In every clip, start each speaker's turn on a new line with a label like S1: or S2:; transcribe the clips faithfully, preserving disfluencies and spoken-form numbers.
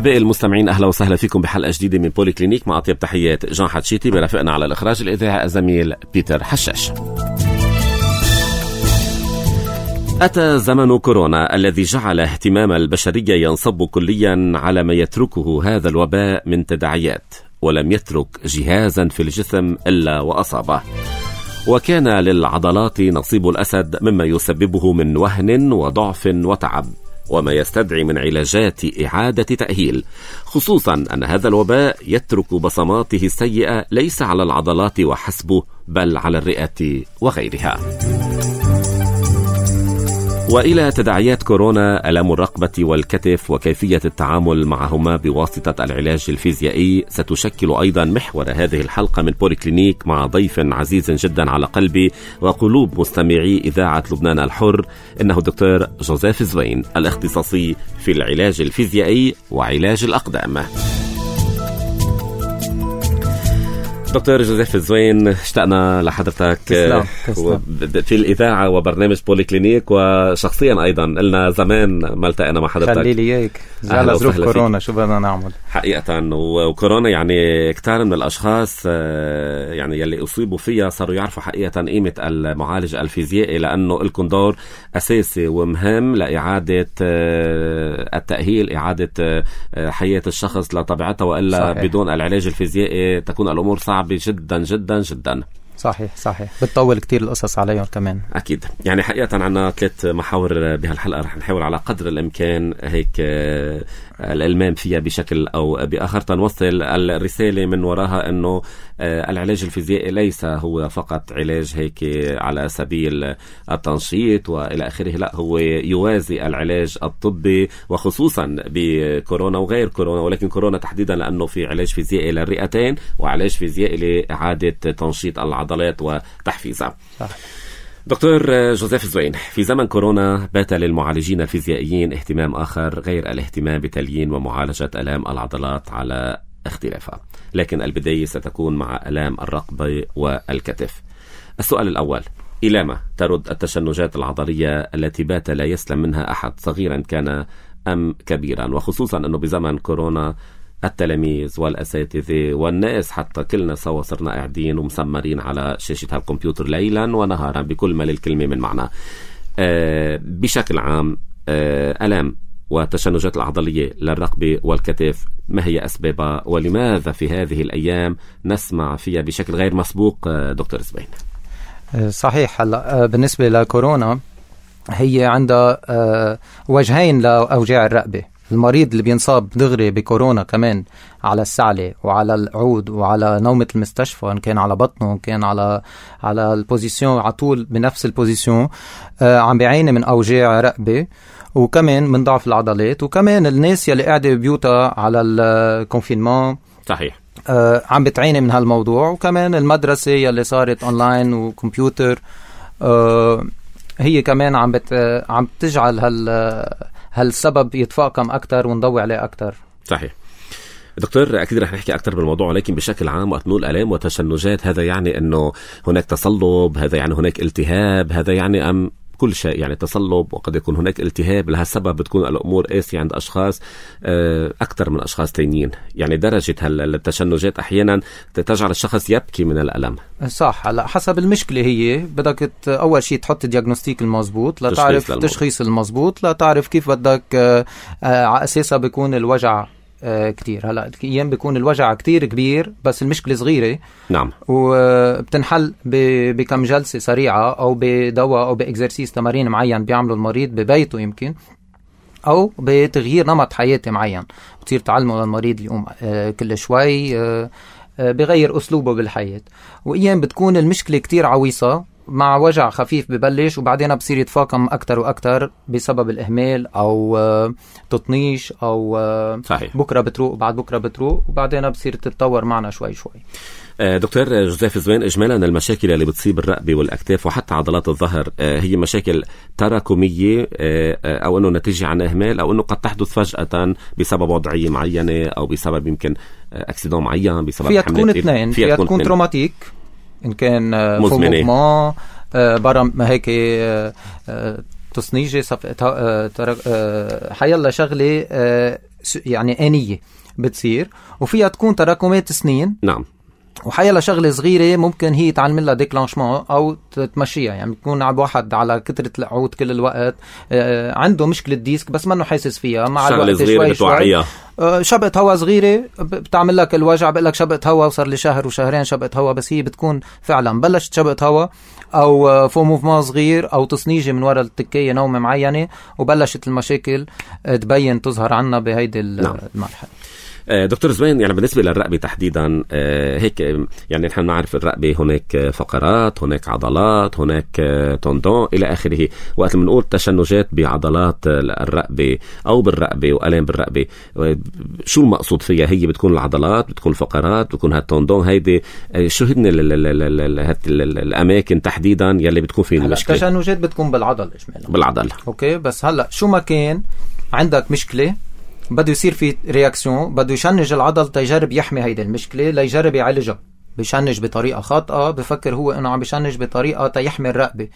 S1: أحبائي المستمعين، أهلا وسهلا فيكم بحلقة جديدة من بولي كلينيك مع أطيب تحيات جان حتشيتي، برافقنا على الإخراج الإذاعي الزميل بيتر حشاش. أتى زمن كورونا الذي جعل اهتمام البشرية ينصب كليا على ما يتركه هذا الوباء من تداعيات، ولم يترك جهازا في الجسم إلا وأصابه، وكان للعضلات نصيب الأسد مما يسببه من وهن وضعف وتعب، وما يستدعي من علاجات إعادة تأهيل، خصوصا أن هذا الوباء يترك بصماته السيئة ليس على العضلات وحسبه بل على الرئة وغيرها. وإلى تداعيات كورونا ألم الرقبة والكتف وكيفية التعامل معهما بواسطة العلاج الفيزيائي ستشكل أيضا محور هذه الحلقة من بولي كلينيك مع ضيف عزيز جدا على قلبي وقلوب مستمعي إذاعة لبنان الحر، إنه دكتور جوزيف زوين، الاختصاصي في العلاج الفيزيائي وعلاج الأقدام. دكتور جوزيف زوين، اشتقنا لحضرتك
S2: تسلم. تسلم.
S1: في الإذاعة وبرنامج بولي كلينيك، وشخصيا أيضا قلنا زمان ما التقينا مع حضرتك.
S2: خلي لي اياك على ظروف كورونا، شو بدنا نعمل
S1: حقيقة. وكورونا يعني كتار من الأشخاص يعني يلي أصيبوا فيها صاروا يعرفوا حقيقة قيمة المعالج الفيزيائي، لأنه لكم دور أساسي ومهم لإعادة التأهيل، إعادة حياة الشخص لطبيعته، وإلا صحيح. بدون العلاج الفيزيائي تكون الأمور صعبة جدا جدا جدا.
S2: صحيح صحيح، بتطول كتير القصص عليهم كمان.
S1: أكيد. يعني حقيقة عنا ثلاث محاور بهالحلقة رح نحاول على قدر الإمكان هيك الإلمام فيها بشكل أو بآخر، تنوصل الرسالة من وراها أنه العلاج الفيزيائي ليس هو فقط علاج هيك على سبيل التنشيط وإلى آخره، لا، هو يوازي العلاج الطبي، وخصوصا بكورونا وغير كورونا، ولكن كورونا تحديدا لأنه في علاج فيزيائي للرئتين وعلاج فيزيائي لإعادة تنشيط العضلات وتحفيزها. صح. دكتور جوزيف زوين، في زمن كورونا بات للمعالجين الفيزيائيين اهتمام آخر غير الاهتمام بتليين ومعالجة آلام العضلات على اختلافها، لكن البداية ستكون مع آلام الرقبة والكتف. السؤال الأول، إلى ما ترد التشنجات العضلية التي بات لا يسلم منها أحد صغيرا كان أم كبيرا، وخصوصا أنه بزمن كورونا التلاميذ والأساتذة والناس حتى كلنا سوا صرنا قاعدين ومسمرين على شاشة هالكمبيوتر ليلا ونهارا بكل ما للكلمة من معنى. أه بشكل عام أه ألام والتشنجات العضلية للرقبة والكتف، ما هي أسبابها ولماذا في هذه الأيام نسمع فيها بشكل غير مسبوق دكتور زبين؟
S2: صحيح. هلا بالنسبة لكورونا هي عندها وجهين لأوجاع الرقبة. المريض اللي بينصاب دغري بكورونا كمان على السعلة وعلى العود وعلى نومة المستشفى، إن كان على بطنه إن كان على على البوزيسيون على طول بنفس البوزيسيون، آه عم بيعاني من أوجاع رقبة وكمان من ضعف العضلات، وكمان الناس يلي قاعدة ببيوتها على الكونفينمون
S1: صحيح
S2: آه عم بتعاني من هالموضوع، وكمان المدرسة يلي صارت أونلاين وكمبيوتر آه هي كمان عم بت عم تجعل هال هالسبب يتفاقم أكتر ونضوي عليه أكتر.
S1: صحيح دكتور، أكيد رح نحكي أكتر بالموضوع، ولكن بشكل عام وقت نقول آلام وتشنجات هذا يعني أنه هناك تصلب، هذا يعني هناك التهاب، هذا يعني أم كل شيء، يعني تصلب وقد يكون هناك التهاب، لهالسبب بتكون الأمور قاسية عند أشخاص أكثر من أشخاص تانيين، يعني درجة هالتشنجات أحيانا تجعل الشخص يبكي من الألم.
S2: صح. هلا حسب المشكلة هي بدك أول شيء تحط الدياغنوستيك المضبوط لتعرف تشخيص المضبوط، لتعرف كيف بدك على أساسها بيكون الوجع كتير. هلا ايام بيكون الوجع كتير كبير بس المشكله صغيره.
S1: نعم.
S2: وبتنحل بكم جلسه سريعه او بدواء او باكزرسيس تمارين معين بيعمله المريض ببيته يمكن، او بتغيير نمط حياتي معين بتصير تعلمه للمريض يقوم كل شوي بغير اسلوبه بالحياه. وايام بتكون المشكله كتير عويصه مع وجع خفيف ببلش وبعدين بصير يتفاقم أكتر وأكتر بسبب الإهمال أو تطنيش أو
S1: صحيح.
S2: بكرة بتروق وبعد بكرة بتروق وبعدين بصير تتطور معنا شوي شوي.
S1: دكتور جوزيف زوين، إجمالا المشاكل اللي بتصيب الرقبة والأكتاف وحتى عضلات الظهر هي مشاكل تراكمية أو أنه نتيجة عن إهمال أو أنه قد تحدث فجأة بسبب وضعية معينة أو بسبب يمكن أكسيدون معين بسبب
S2: فيها تكون اثنين، فيها, فيها تكون تروماتيك إن كان فوقما برا ما هيك تصنيجي حيالله شغلة يعني آنية بتصير، وفيها تكون تراكمات سنين.
S1: نعم.
S2: وحيلا شغلة صغيرة ممكن هي تعمل لها ديكلانشمون أو تمشيها، يعني بتكون عب واحد على كترة العود كل الوقت آه عنده مشكلة ديسك بس ما انه حاسس فيها، مع الوقت شوي شوي آه شبقة هوا صغيرة بتعمل لك الوجع، بقول لك شبقة هوا وصار لي شهر وشهرين شبقة هوا، بس هي بتكون فعلا بلشت شبقة هوا أو فو موفمان صغير أو تصنيجة من وراء التكية نومة معينة، وبلشت المشاكل تبين تظهر عنا بهيدي المرحلة.
S1: دكتور زوين، يعني بالنسبة للرقبة تحديدا هيك، يعني نحن نعرف الرقبة هناك فقرات، هناك عضلات، هناك توندون إلى آخره. وقت من نقول تشنجات بعضلات الرقبة أو بالرقبة وألم بالرقبة، شو المقصود فيها؟ هي بتكون العضلات، بتكون الفقرات، بتكون هالتوندون، هيدي شو هن الأماكن تحديدا يلي بتكون فيه المشكلة؟
S2: التشنجات بتكون بالعضل إجمالا.
S1: بالعضل.
S2: أوكي، بس هلأ شو ما كان عندك مشكلة بده يصير في رياكسيون، بده يشنج العضل تيجرب يحمي هيدي المشكلة، ليجرب يعالجها. بيشنج بطريقة خاطئة، بفكر هو انه عم بيشنج بطريقة تيحمي الرقبة.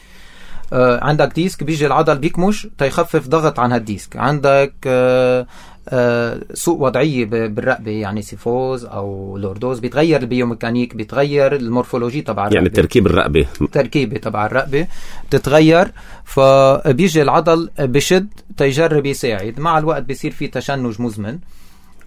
S2: آه عندك ديسك، بيجي العضل بيكمش تيخفف ضغط عن هالديسك. عندك آه آه سوء وضعية بالرقبة، يعني سيفوز أو لوردوز، بيتغير البيوميكانيك، بيتغير المورفولوجي تبع الرقبة،
S1: يعني تركيب الرقبة
S2: تركيبة تبع الرقبة بتتغير، فبيجي العضل بشد تيجرب يساعد. مع الوقت بيصير في تشنج مزمن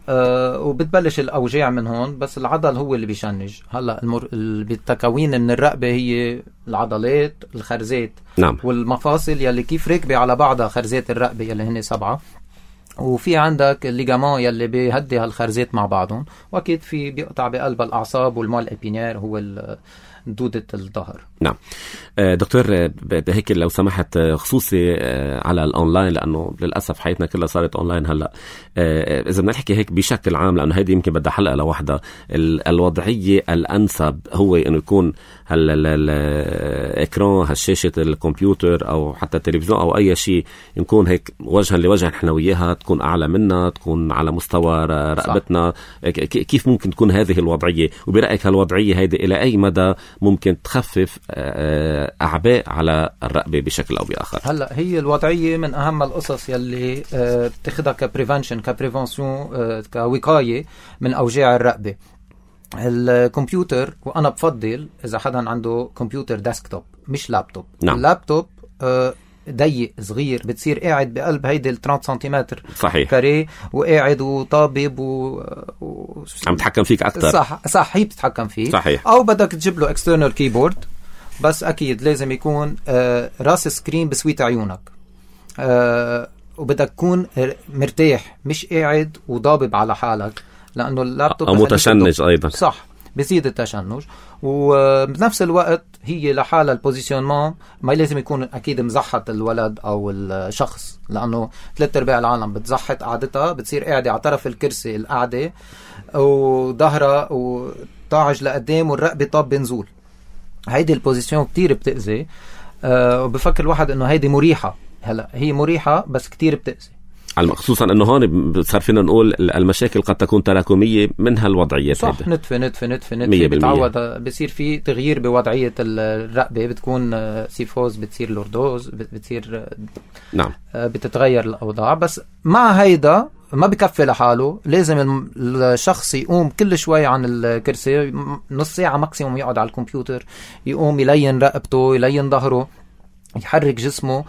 S2: أه وبتبلش الأوجاع من هون، بس العضل هو اللي بيشنج. هلأ المر... بالتكوين من الرقبة هي العضلات، الخرزات،
S1: نعم،
S2: والمفاصل يلي كيف ركبة على بعضها، خرزات الرقبة يلي هن سبعة، وفي عندك الليجامان يلي بيهدي هالخرزات مع بعضهم، واكيد في بيقطع بقلب الاعصاب، والمال ابينير هو دودة الظهر.
S1: نعم. دكتور هيك لو سمحت، خصوصي على الأونلاين، لأنه للأسف حياتنا كلها صارت أونلاين هلأ، إذا بدنا نحكي هيك بشكل عام، لأنه هيدي يمكن بدها حلقة لوحدها، الوضعية الأنسب هو إنه يكون هالإكران، هالشاشة الكمبيوتر أو حتى التلفزيون أو أي شيء، نكون هيك وجها لوجه نحن وياها، تكون أعلى منا، تكون على مستوى رقبتنا. كيف ممكن تكون هذه الوضعية؟ وبرأيك هالوضعية هيدي إلى أي مدى ممكن تخفف أعباء على الرقبة بشكل أو بآخر؟
S2: هلأ هي الوضعية من أهم القصص يلي بتاخدها كبريفنشن، كبريفنسيون، كوقاية من أوجاع الرقبة. الكمبيوتر، وأنا بفضل إذا حدا عنده كمبيوتر ديسكتوب مش لابتوب.
S1: نعم.
S2: اللابتوب ضيق صغير، بتصير قاعد بقلب هيدي الثلاثين سنتيمتر
S1: صحيح
S2: كاري، وقاعد وطابب و... و...
S1: عم تحكم فيك أكتر.
S2: صح صح هي بتتحكم فيه.
S1: صحيح.
S2: أو بدك تجيب له external keyboard، بس أكيد لازم يكون آه راس سكرين بسويت عيونك، آه وبدك تكون مرتاح، مش قاعد وضابب على حالك، لأنه اللابتوب
S1: أو متشنج أيضا.
S2: صح، بيزيد التشنج. وبنفس الوقت هي لحالة البوزيشنمان ما لازم يكون أكيد مزحط الولد أو الشخص، لأنه ثلاث أرباع العالم بتزحط قعدتها، بتصير قاعدة على طرف الكرسي القعدة وظهرها وطاعج لقدام والرقبة طاب بنزول. هيدي البوزيشن كتير بتأذي، أه وبفكر الواحد إنه هيدي مريحة. هلا هي مريحة بس كتير بتأذي،
S1: خصوصا انه هون صار فينا نقول المشاكل قد تكون تراكميه من هالوضعيات.
S2: صح، نتفه نتفه نتفه نتفه بتعود، بصير في تغيير بوضعيه الرقبه، بتكون سيفوز، بتصير لوردوز، بتصير
S1: نعم
S2: بتتغير الاوضاع. بس مع هيدا ما بكفي لحاله، لازم الشخص يقوم كل شوي عن الكرسي، نص ساعه ماكسيموم يقعد على الكمبيوتر، يقوم يلين رقبته، يلين ظهره، يحرك جسمه،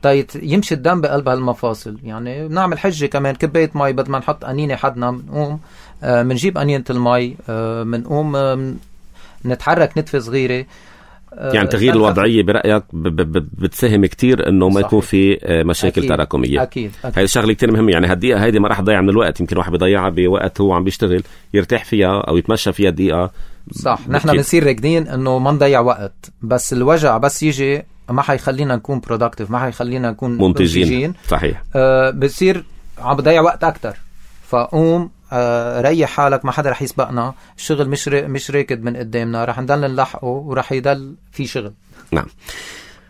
S2: طيب يمشي الدم بقلب هالمفاصل. يعني بنعمل حجة كمان، كباية مي بدل ما نحط قنينة حدنا، بنقوم بنجيب قنينة المي، بنقوم نتحرك نتفة صغيرة.
S1: يعني تغيير الوضعية برأيك بتساهم كتير انه ما يكون في مشاكل
S2: أكيد.
S1: تراكمية.
S2: أكيد. أكيد.
S1: هاي شغلة كتير مهمة. يعني هالدقيقة هيدي ما راح تضيع من الوقت، يمكن واحد بيضيعها بوقت هو عم بيشتغل، يرتاح فيها او يتمشى فيها دقيقة.
S2: صح، نحن بنصير راكدين انه ما نضيع وقت، بس الوجع بس يجي ما حيخلينا نكون productive، ما حيخلينا نكون
S1: منتجين,
S2: منتجين.
S1: صحيح.
S2: آه بصير عم بضيع وقت أكتر، فقوم آه ريح حالك، ما حدا رح يسبقنا، الشغل مش مش راكد من قدامنا، رح نضل نلحقه ورح يضل في شغل.
S1: نعم.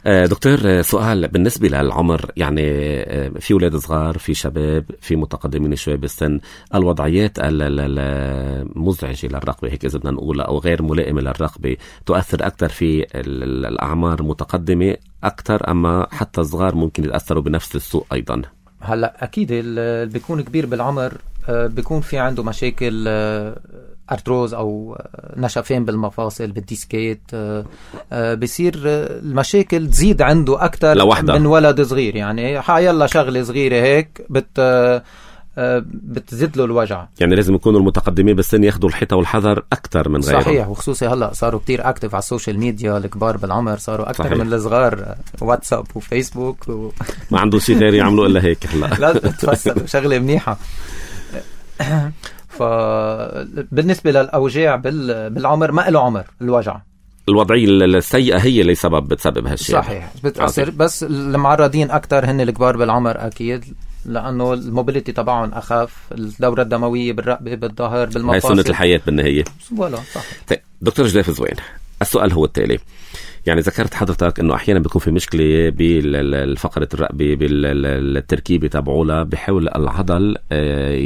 S1: دكتور، سؤال بالنسبة للعمر، يعني في أولاد صغار، في شباب، في متقدمين شوي بالسن، الوضعيات المزعجة للرقبة هيك إذا بدنا نقول أو غير ملائمة للرقبة تؤثر أكثر في الأعمار المتقدمة أكثر، أما حتى الصغار ممكن يتأثروا بنفس السوء أيضا؟
S2: هلا اكيد اللي بيكون كبير بالعمر بيكون في عنده مشاكل ارتروز او نشفين بالمفاصل بالديسكيت، بصير المشاكل تزيد عنده اكثر من ولد صغير. يعني حيلا شغله صغيره هيك بت بتزيد له الوجع.
S1: يعني لازم يكونوا المتقدمين بالسن ياخذوا الحيطه والحذر اكثر من غيرهم.
S2: صحيح، وخصوصي هلا صاروا كتير اكتف على السوشيال ميديا، الكبار بالعمر صاروا اكثر من الصغار، واتساب وفيسبوك و...
S1: ما عندهم شيء غير يعملوا الا هيك. هلا
S2: لازم تفسروا شغله منيحه. فبالنسبه للاوجاع بالعمر ما له عمر الوجع،
S1: الوضعيه السيئه هي اللي سبب بتسبب هالشيء.
S2: صحيح بتأثر، بس المعرضين اكثر هن الكبار بالعمر اكيد، لانه الموبيليتي تبعهم اخف، الدوره الدمويه بالرقبه بالظهر بالمفاصل،
S1: هي سنه الحياه بالنهايه.
S2: ولا صح.
S1: طيب دكتور جزيف زوين، السؤال هو التالي. يعني ذكرت حضرتك انه احيانا بيكون في مشكله بالفقره الرقبه بالتركيبه تبعولها، بحاول العضل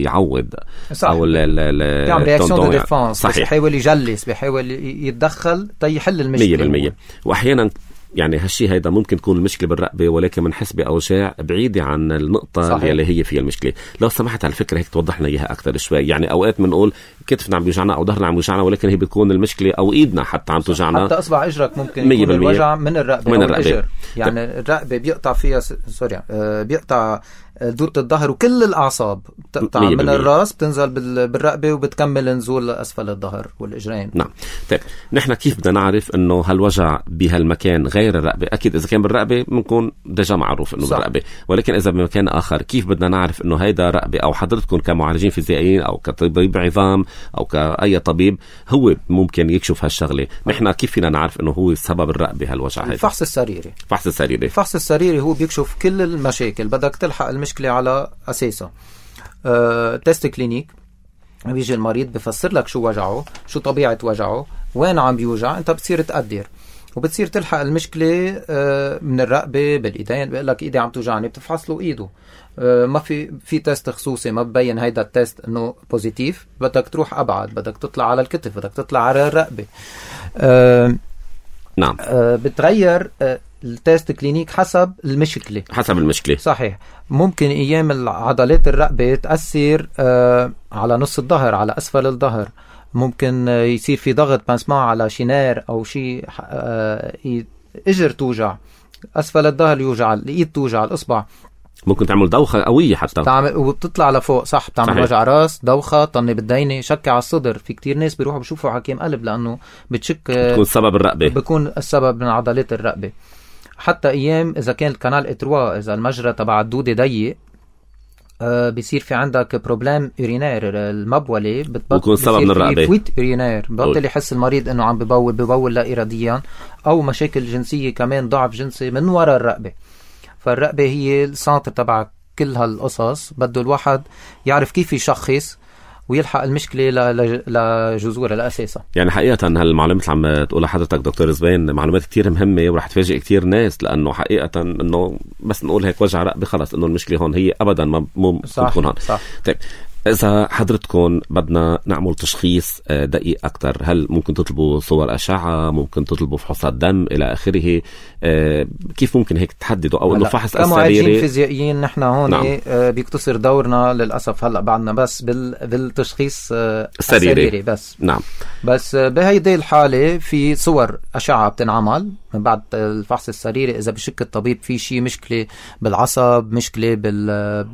S1: يعوض
S2: صح. او بيعمل رياكشن دو ديفانس، بيحاول يجلس، بيحاول يتدخل تيحل المشكله
S1: مية بالمية. واحيانا يعني هالشيء هيدا ممكن تكون المشكله بالرقبه، ولكن بنحس باوجاع بعيده عن النقطه صحيح. اللي هي فيها المشكله. لو سمحت على الفكره هيك توضح لنا اياها اكثر شوي. يعني اوقات بنقول كتفنا عم بيوجعنا او ظهرنا عم بيوجعنا، ولكن هي بتكون المشكله او ايدنا حتى عم توجعنا،
S2: حتى اصبع اجرك ممكن يكون الوجع من الرقبه
S1: من
S2: او
S1: الرقبة.
S2: الإجر. يعني الرقبه بيقطع فيها س... سوري آه بيقطع دورة الظهر وكل الأعصاب بتقطع من الرأس بتنزل بالرقبة وبتكمل نزول أسفل الظهر والإجرين.
S1: نعم. طيب نحن كيف بدنا نعرف إنه هالوجع بهالمكان غير الرقبة؟ أكيد إذا كان بالرقبة بنكون دجا معروف إنه بالرقبة، ولكن إذا بمكان آخر كيف بدنا نعرف إنه هيدا رقبة؟ أو حضرتكم كمعالجين فيزيائيين أو كطبيب عظام أو كأي طبيب هو ممكن يكشف هالشغلة، نحن كيف فينا نعرف إنه هو سبب الرقبة هالوجع هيدا؟
S2: الفحص السريري.
S1: الفحص السريري.
S2: الفحص السريري هو بيكشف كل المشاكل، بدك تلحق المشكلة على أساسها. أه، تيست كلينيك، بيجي المريض بفسر لك شو وجعه، شو طبيعة وجعه، وين عم بيوجع، انت بتصير تقدر وبتصير تلحق المشكلة أه من الرقبة بالإيدين. بيقول لك إيدي عم توجعني، بتفحص له إيده. أه ما في في تيست خصوصي ما ببين هيدا التيست إنه بوزيتيف، بدك تروح أبعد، بدك تطلع على الكتف، بدك تطلع على الرقبة. أه
S1: نعم.
S2: أه بتغير أه التيست كلينيك حسب المشكلة.
S1: حسب المشكلة.
S2: صحيح. ممكن أيام عضلات الرقبة تأثر آه على نص الظهر، على أسفل الظهر. ممكن آه يصير في ضغط بنسمعه على شنار أو شيء، آه إجر توجع، أسفل الظهر يوجع، الإيد توجع، الإصبع.
S1: ممكن تعمل دوخة قوية حتى
S2: تعمل وبتطلع لفوق. صح. بتعمل صحيح. وجع راس، دوخة، طنة بالدينة، شك على الصدر. في كتير ناس بيروحوا بيشوفوا حكيم قلب لأنه بتشك
S1: بتكون سبب الرقبة،
S2: بيكون السبب من عضلات الرقبة. حتى ايام اذا كان الكنال اتروا، اذا المجرى تبع الدودة ضيق، آه بيصير في عندك بروبلام يورينير، المبولة
S1: بتكون سبب من الرقبة،
S2: فويت يورينير، بطل يحس المريض انه عم ببول ببول لا اراديا، او مشاكل جنسية كمان، ضعف جنسي من وراء الرقبة. فالرقبة هي السنتر تبع كل هالقصص، بده الواحد يعرف كيف يشخص ويلحق المشكلة لجذورها لأساسها.
S1: يعني حقيقة هالمعلومات اللي عم تقولها حضرتك دكتور زبين معلومات كتير مهمة، ورح تفاجئ كتير ناس، لأنه حقيقة إنه بس نقول هيك وجع رقبة خلص إنه المشكلة هون، هي أبدا ما مو تكون هون.
S2: صح.
S1: طيب إذا حضرتكم بدنا نعمل تشخيص دقيق أكتر، هل ممكن تطلبوا صور أشعة، ممكن تطلبوا فحوصات دم إلى آخره؟ كيف ممكن هيك تحددوا؟ أو إنه فحص السريري؟
S2: كمعالجين فيزيائيين نحن هون نعم. بيقتصر دورنا للأسف هلأ بعدنا بس بالتشخيص السريري. السريري بس.
S1: نعم.
S2: بس بهيدي الحالة في صور أشعة بتنعمل من بعد الفحص السريري، إذا بشك الطبيب في شيء مشكلة بالعصب، مشكلة بال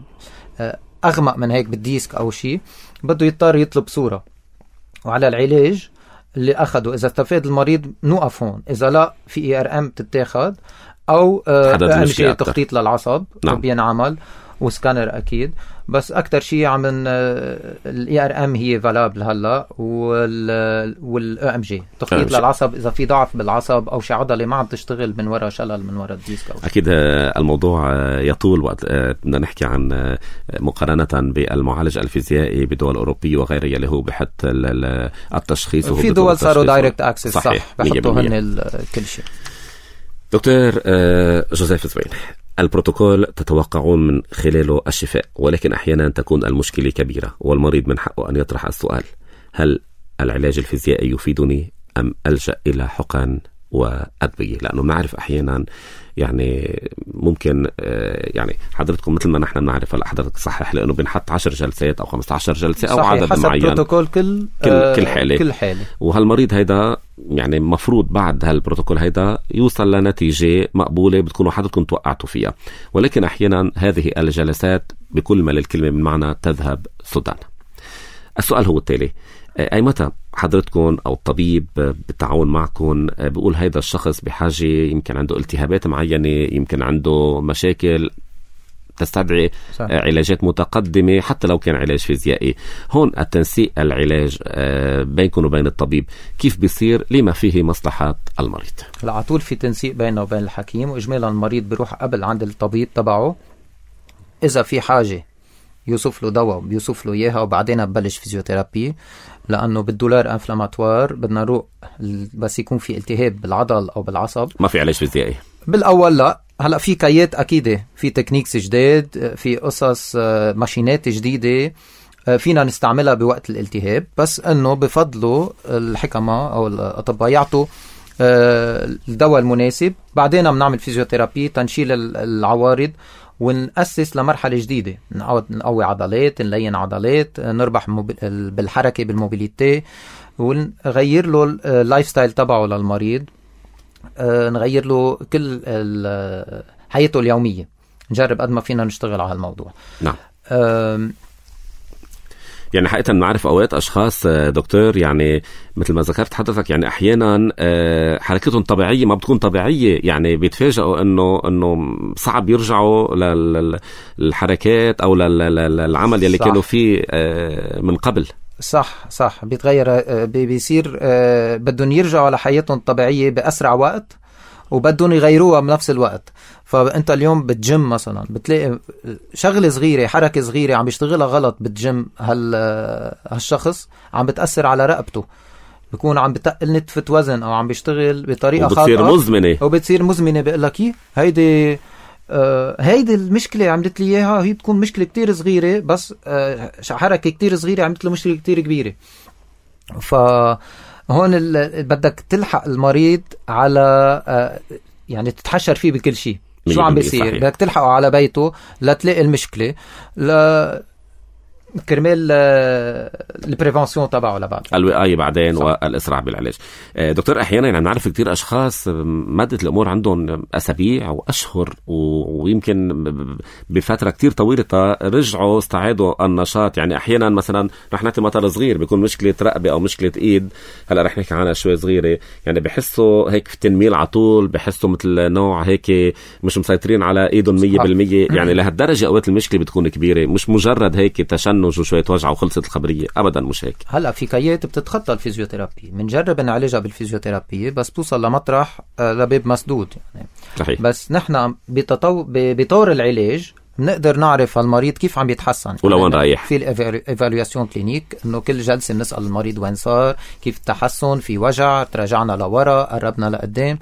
S2: أغمق من هيك بالديسك أو شيء، بده يضطر يطلب صورة. وعلى العلاج اللي أخده، إذا استفاد المريض نوقف هون، إذا لا في إي آر إم تتاخد، أو أمشي تخطيط للعصب نعم. بينعمل، وسكانر أكيد. بس أكتر شيء عم الإي آر إم هي فالابل هلا، والأو إم جي تخطيط للعصب إذا في ضعف بالعصب أو شي عضلة ما عم تشتغل من وراء شلل من وراء الديسك.
S1: أكيد الموضوع يطول وقت بدنا نحكي عن مقارنة بالمعالج الفيزيائي بدول أوروبية وغيرها اللي هو بحط التشخيص،
S2: في دول صاروا دايركت أكسس صح بحطوا هن كل شيء.
S1: دكتور جوزيف زوين، البروتوكول تتوقعون من خلاله الشفاء، ولكن أحيانا تكون المشكلة كبيرة والمريض من حقه أن يطرح السؤال: هل العلاج الفيزيائي يفيدني أم ألجأ إلى حقن وأدوية، لأنه بنعرف أحيانا يعني ممكن يعني حضرتكم مثل ما نحن بنعرف، هلا حضرتك صحح لأنه بنحط عشر جلسات أو خمسة عشر جلسة أو عدد
S2: حسب
S1: معين
S2: بروتوكول كل
S1: كل,
S2: آه
S1: كل حالة
S2: كل حالة.
S1: وهالمريض هيدا يعني مفروض بعد هالبروتوكول هيدا يوصل لنتيجة مقبولة بتكونوا حضرتكم توقعتوا فيها، ولكن أحيانا هذه الجلسات بكل ما للكلمة من معنى تذهب سدى. السؤال هو التالي: أي متى حضرتكم أو الطبيب بالتعاون معكم بيقول هيدا الشخص بحاجة، يمكن عنده التهابات معينة، يمكن عنده مشاكل تستدعي صح. علاجات متقدمة حتى لو كان علاج فيزيائي، هون التنسيق العلاج بينكم وبين الطبيب كيف بيصير لما فيه مصلحة المريض؟
S2: لا، على طول في تنسيق بينه وبين الحكيم، وإجمالا المريض بيروح قبل عند الطبيب تبعه، إذا في حاجة يوصف له دواء بيوصف له إياها، وبعدين ببلش فيزيوثيرابي، لأنه بالدولار انفلاماتوار بدنا نروح بس يكون في التهاب بالعضل أو بالعصب،
S1: ما في علاج فيزيائي بالأول.
S2: لا، هلأ في كايات أكيدة، في تكنيكس جديد، في قصص ماشينات جديدة فينا نستعملها بوقت الالتهاب، بس أنه بفضلوا الحكمة أو الأطباء يعطوا الدواء المناسب، بعدين بنعمل فيزيوثيرابي تنشيل العوارض ونأسس لمرحلة جديدة، نقوي عضلات، نلين عضلات، نربح بالحركة بالموبيليتي، ونغير له اللايف ستايل تبعه للمريض، نغير له كل حياته اليومية، نجرب قد ما فينا نشتغل على الموضوع.
S1: نعم. يعني حقيقة نعرف أوقات أشخاص دكتور يعني مثل ما ذكرت حضرتك، يعني أحيانا حركتهم طبيعية ما بتكون طبيعية، يعني بيتفاجئوا إنه إنه صعب يرجعوا للحركات أو للعمل يلي كانوا فيه من قبل.
S2: صح صح بيتغير، بيصير بدهم يرجعوا لحياتهم الطبيعية بأسرع وقت، وبدهم يغيروها بنفس الوقت. فأنت اليوم بالجيم مثلا بتلاقي شغلة صغيرة، حركة صغيرة عم بيشتغلها غلط بالجيم، هال هالشخص عم بتأثر على رقبته، بيكون عم بتقل نتفة وزن أو عم بيشتغل بطريقة خاطئة
S1: وبتصير مزمنة
S2: وبتصير مزمنة. بقول لك إيه هيدي آه هيدي المشكلة عملت لي إياها، هي بتكون مشكلة كتير صغيرة، بس آه حركة كتير صغيرة عملت له مشكلة كتير كبيرة. فهون بدك تلحق المريض على آه يعني تتحشر فيه بكل شيء، شو عم بيصير، بدك تلحقه على بيته لا تلاقي المشكلة، لا كرمال البريفنسيون تبعه لبعد
S1: الوقاية بعدين صح. والإسراع بالعلاج. دكتور أحيانا يعني نعرف كتير أشخاص مادة الأمور عندهم أسابيع وأشهر ويمكن بفترة كتير طويلة رجعوا استعادوا النشاط. يعني أحيانا مثلا رح نعطي مثل صغير، بيكون مشكلة رقبة أو مشكلة إيد، هلأ رح نحكي عنها شوي صغيرة، يعني بحسوا هيك في تنميل عطول، بحسوا مثل نوع هيك مش مسيطرين على إيدهم مية بالمية. يعني لهالدرجة أوقات المشكلة بتكون كبيرة، مش مجرد هيك تشنج وشوية وجع وخلصت الخبرية، أبدا مش هيك.
S2: هلأ في كيات بتتخطى الفيزيوثيرابي، بنجرب نعالجها بالفيزيوثيرابي بس توصل لمطرح لباب مسدود يعني.
S1: صحيح.
S2: بس نحن بتطو... بطور العلاج بنقدر نعرف المريض كيف عم يتحسن
S1: ولوين رايح.
S2: في الإيفالواسيون كلينيك إنه كل جلسة بنسأل المريض وين صار، كيف التحسن، في وجع، تراجعنا لورا، قربنا لقدام،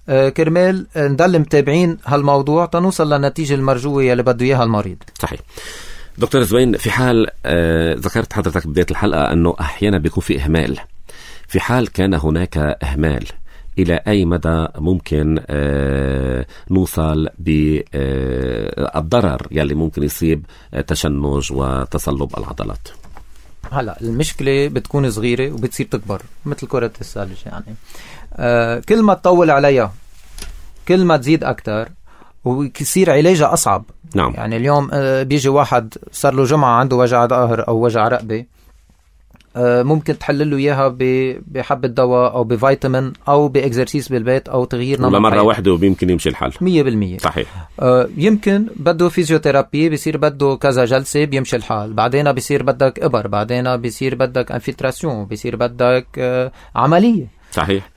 S2: آه كرمال نضل متابعين هالموضوع تنوصل للنتيجة المرجوة اللي بده إياها المريض.
S1: صحيح. دكتور زوين، في حال آه ذكرت حضرتك بداية الحلقة أنه أحيانا بيكون في إهمال، في حال كان هناك إهمال إلى أي مدى ممكن آه نوصل بالضرر يلي ممكن يصيب تشنج وتصلب العضلات؟
S2: هلا المشكلة بتكون صغيرة وبتصير تكبر مثل كرة الثلج، يعني آه كل ما تطول عليها كل ما تزيد أكتر ويصير علاجها أصعب.
S1: نعم.
S2: يعني اليوم بيجي واحد صار له جمعة عنده وجع ظهر أو وجع رقبة، ممكن تحلل له إياها بحبة دواء أو بفيتامين أو بإكزرسيس بالبيت أو تغيير نمط
S1: مرة واحدة وبيمكن يمشي الحال
S2: مية بالمية.
S1: صحيح.
S2: يمكن بده فيزيوثيرابي بيصير بده كذا جلسة بيمشي الحال، بعدين بيصير بدك إبر، بعدين بيصير بدك انفلتراسيون، بيصير بدك عملية.
S1: صحيح.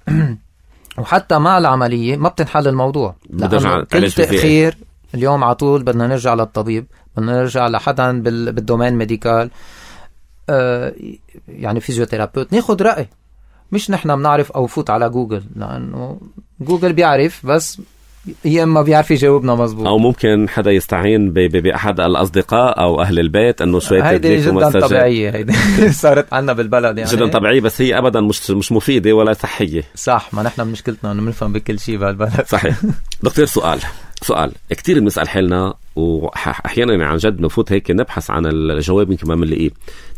S2: وحتى مع العملية ما بتنحل الموضوع، لأنه كل تأخير اليوم عطول بدنا نرجع للطبيب، بدنا نرجع لحدا بالدومين ميديكال، آه يعني فيزيوثيرابيوت، ناخد رأي، مش نحن بنعرف أو فوت على جوجل، لأنه جوجل بيعرف بس يا اما بيعرف يجاوبنا مزبوط،
S1: او ممكن حدا يستعين باحد الاصدقاء او اهل البيت انه شويه
S2: هيدي جدا طبيعيه، هيدي صارت عنا بالبلد يعني
S1: جدا طبيعيه، بس هي ابدا مش مش مفيده ولا صحيه.
S2: صح، ما نحن مشكلتنا انه بنفهم بكل شيء بهالبلد.
S1: صحيح. دكتور سؤال سؤال كتير بنسال حالنا، واحيانا عن جد بنفوت هيك نبحث عن الجواب يمكن ما بنلاقيه.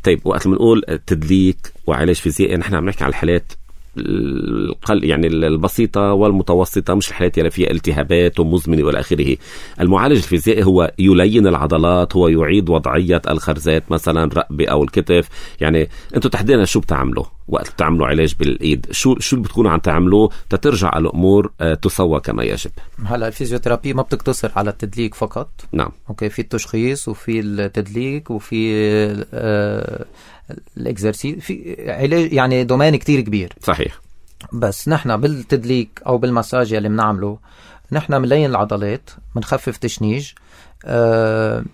S1: طيب وقت بنقول تدليك وعلاج فيزيائي نحن عم نحكي عن الحالات القل يعني البسيطة والمتوسطة، مش الحالات اللي فيها التهابات ومزمنة والى آخره. المعالج الفيزيائي هو يلين العضلات، هو يعيد وضعية الخرزات مثلا الرقبة أو الكتف. يعني أنتوا تحديدا شو بتعملوا وقت بتعملوا علاج بالإيد؟ شو شو اللي بتكونوا عم تعملوه تترجع الأمور تسوى كما يجب؟
S2: هلا الفيزيوثيرابي ما بتقتصر على التدليك فقط.
S1: نعم.
S2: أوكي، في التشخيص وفي التدليك وفي آه الاكزرسيس، في علاج يعني دومين كتير كبير.
S1: صحيح.
S2: بس نحن بالتدليك او بالمساج اللي بنعمله نحن بنلين العضلات، بنخفف تشنيج، آه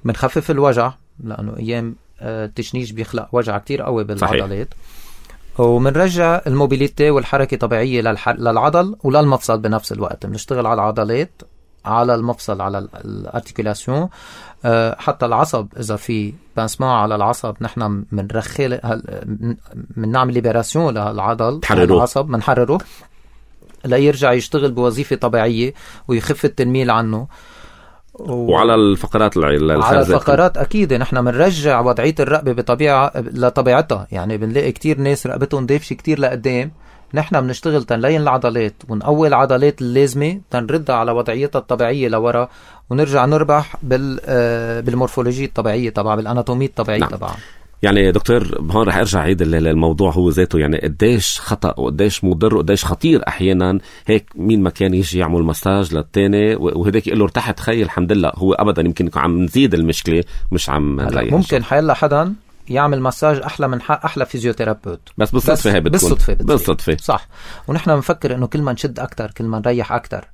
S2: بنخفف الوجع، لانه ايام آه التشنيج بيخلق وجع كتير قوي بالعضلات. وبنرجع الموبيليتي والحركه طبيعيه للح... للعضل وللمفصل بنفس الوقت. بنشتغل على العضلات، على المفصل، على الارتيكولاسيون، أه حتى العصب اذا في بانسمان على العصب نحن بنرخي بنعمل ليبراسيون للعضل، العصب بنحرره ليرجع يشتغل بوظيفه طبيعيه ويخف التنميل عنه. و... وعلى
S1: الفقرات الخارجية،
S2: على الفقرات اكيد نحن بنرجع وضعيه الرقبه بطبيعه لطبيعتها. يعني بنلاقي كتير ناس رقبتهم دافشه كتير لقدام، نحن بنشتغل تنلين العضلات ونقوي العضلات اللازمة تنردها على وضعيتها الطبيعية لورا، ونرجع نربح بال بالمورفولوجية الطبيعية تبعها، بالأناتومية الطبيعية
S1: نعم.
S2: تبعها.
S1: يعني دكتور هون رح ارجع عيد الموضوع هو ذاته، يعني قديش خطأ وقديش مضر وقديش خطير احيانا هيك مين ما كان يجي يعمل مساج للتاني وهداك يقول له ارتحت خي الحمد لله، هو ابدا يمكن يكون عم نزيد المشكلة مش عم نريح.
S2: ممكن حيلا حدا يعمل مساج احلى من حق احلى فيزيوثيرابيوت،
S1: بس بالصدفه هي بتكون
S2: بالصدفه
S1: بالصدفه
S2: صح. ونحن بنفكر انه كل ما نشد اكتر كل ما نريح اكتر،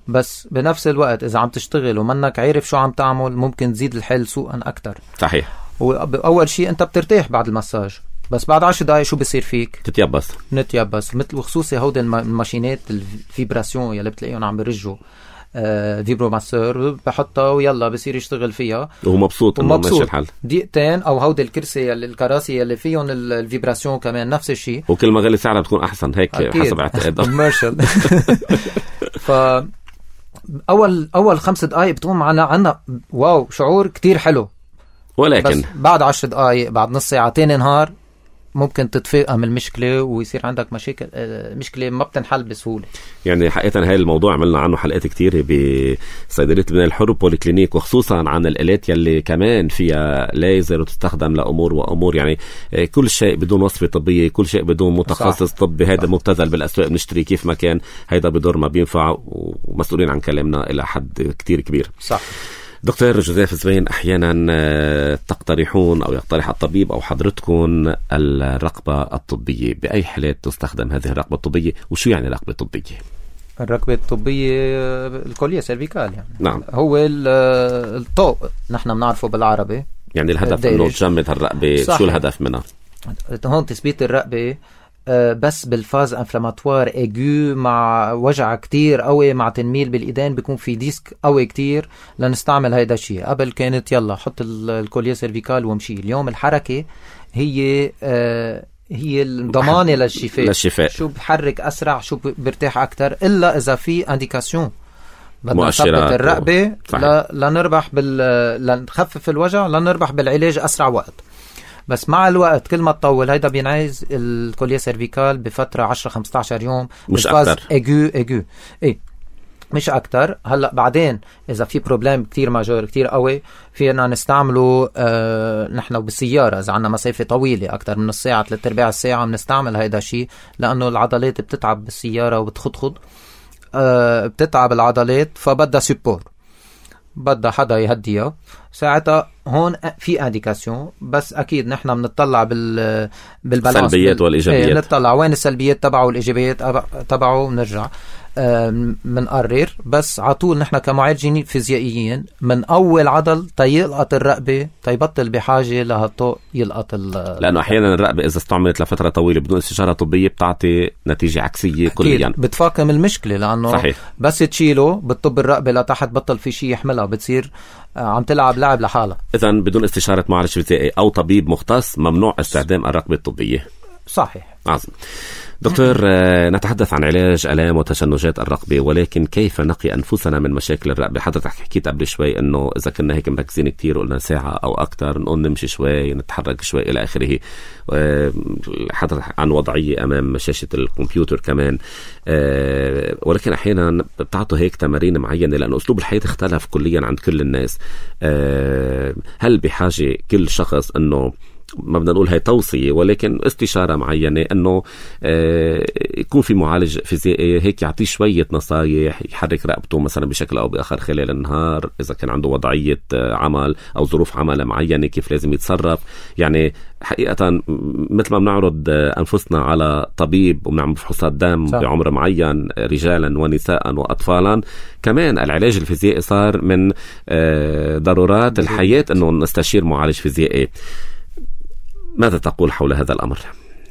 S2: بس بنفس الوقت اذا عم تشتغل ومنك عارف شو عم تعمل ممكن تزيد الحل سوءا اكتر.
S1: صحيح.
S2: واول شيء انت بترتاح بعد المساج، بس بعد عشر دقائق شو بصير فيك؟
S1: تتيبس
S2: نتيبس، مثل وخصوصي هودي الماشينات الفيبراسيون يلي بتلاقيهم عم برجوا آه فيبرو ماسور، بحطها ويلا بصير يشتغل فيها
S1: وهو مبسوط انه ماشي الحال.
S2: دقيقتين او هودي الكرسي الكراسي اللي فيهم الفيبراسيون كمان نفس الشيء،
S1: وكل ما غلي سعرها بتكون احسن هيك أكيد. حسب اعتقادي كوميرشال.
S2: ف اول اول خمس دقائق بتقوم معنا عنا واو شعور كتير حلو،
S1: ولكن
S2: بس بعد عشر دقائق بعد نص ساعة تاني نهار ممكن تتفاقم المشكلة ويصير عندك مشاكل، مشكلة ما بتنحل بسهولة.
S1: يعني حقيقة هاي الموضوع عملنا عنه حلقات كتيرة بصيدلية بناء الحر بوليكلينيك، وخصوصا عن الآلات يلي كمان فيها ليزر وتستخدم لأمور وأمور، يعني كل شيء بدون وصفة طبية، كل شيء بدون متخصص طبي، هيدا مبتذل بالأسواق بنشتري كيف ما كان، هيدا بدور ما بينفع، ومسؤولين عن كلامنا إلى حد كتير كبير.
S2: صح.
S1: دكتور جوزيف زبين، أحيانا تقترحون أو يقترح الطبيب أو حضرتكم الرقبة الطبية، بأي حالات تستخدم هذه الرقبة الطبية، وشو يعني رقبة طبية؟
S2: الركبة الطبية الكوليه سيرفيكال، يعني
S1: نعم.
S2: هو الطوق نحن بنعرفه بالعربي،
S1: يعني الهدف انه تجمد الرقبة. شو الهدف منها؟
S2: هون تثبيت الرقبة بس بالفاز انفلاماتوار ايجو مع وجع كتير قوي مع تنميل بالايدين، بيكون في ديسك قوي كتير لنستعمل هيدا الشيء. قبل كانت يلا حط الكوليه سيرفيكال ومشي، اليوم الحركة هي آه هي الضمانة للشفاء.
S1: للشفاء
S2: شو بحرك أسرع، شو برتاح أكتر، إلا إذا في انديكاسيون بدنا نثبت الرقبة و... لنربح بال لنخفف الوجع، لنربح بالعلاج أسرع وقت. بس مع الوقت كل ما تطول هيدا بينعايز الكوليه سيرفيكال بفترة عشرة خمسة عشر يوم،
S1: مش أكتر.
S2: ايجو ايجو ايه مش أكتر. هلأ بعدين إذا في بروبلام كتير ماجور كتير قوي فينا نستعمله آه نحن بالسيارة، إذا عنا مسافة طويلة أكتر من الساعة ثلاثة أرباع الساعة بنستعمل هيدا الشيء، لأنه العضلات بتتعب بالسيارة وبتخضخض، آه بتتعب العضلات، فبدها سيبور، بدها حدا يهديها ساعتها. هون في انديكاسيون، بس اكيد نحن بنطلع بال بالبالانس،
S1: السلبيات والايجابيات،
S2: ايه نطلع وين السلبيات تبعه والايجابيات تبعه ونرجع. منقرر، بس عطول نحن كمعالجين فيزيائيين من أول عضل تيلقط الرقبة تيبطل بحاجة لهالطوق يلقط.
S1: لأنه أحيانا الرقبة إذا استعملت لفترة طويلة بدون استشارة طبية بتعطي نتيجة عكسية كليا،
S2: بتفاقم المشكلة. لأنه
S1: صحيح.
S2: بس تشيله بتطب الرقبة لتحت، بطل في شيء يحملها، بتصير عم تلعب لعب لحالها.
S1: إذن بدون استشارة معالج فيزيائي أو طبيب مختص ممنوع استخدام الرقبة الطبية.
S2: صحيح.
S1: عظيم. دكتور، نتحدث عن علاج آلام وتشنجات الرقبة، ولكن كيف نقي أنفسنا من مشاكل الرقبة؟ حضرتك حكيت قبل شوي أنه إذا كنا هيك مركزين كتير قلنا ساعة أو أكتر نقوم نمشي شوي نتحرك شوي إلى آخره. حضرتك عن وضعية أمام شاشة الكمبيوتر كمان، ولكن أحيانا بتعطوا هيك تمارين معينة لأن أسلوب الحياة اختلف كليا عند كل الناس. هل بحاجة كل شخص أنه ما بدنا نقول هاي توصية ولكن استشارة معينة أنه آه يكون في معالج فيزيائي هيك يعطيه شوية نصايح، يحرك رقبته مثلا بشكل أو بآخر خلال النهار إذا كان عنده وضعية عمل أو ظروف عمل معينة كيف لازم يتصرف؟ يعني حقيقة مثل ما بنعرض أنفسنا على طبيب وبنعمل فحوصات دم صح. بعمر معين رجالا ونساء وأطفالا، كمان العلاج الفيزيائي صار من آه ضرورات الحياة أنه نستشير معالج فيزيائي. ماذا تقول حول هذا الأمر؟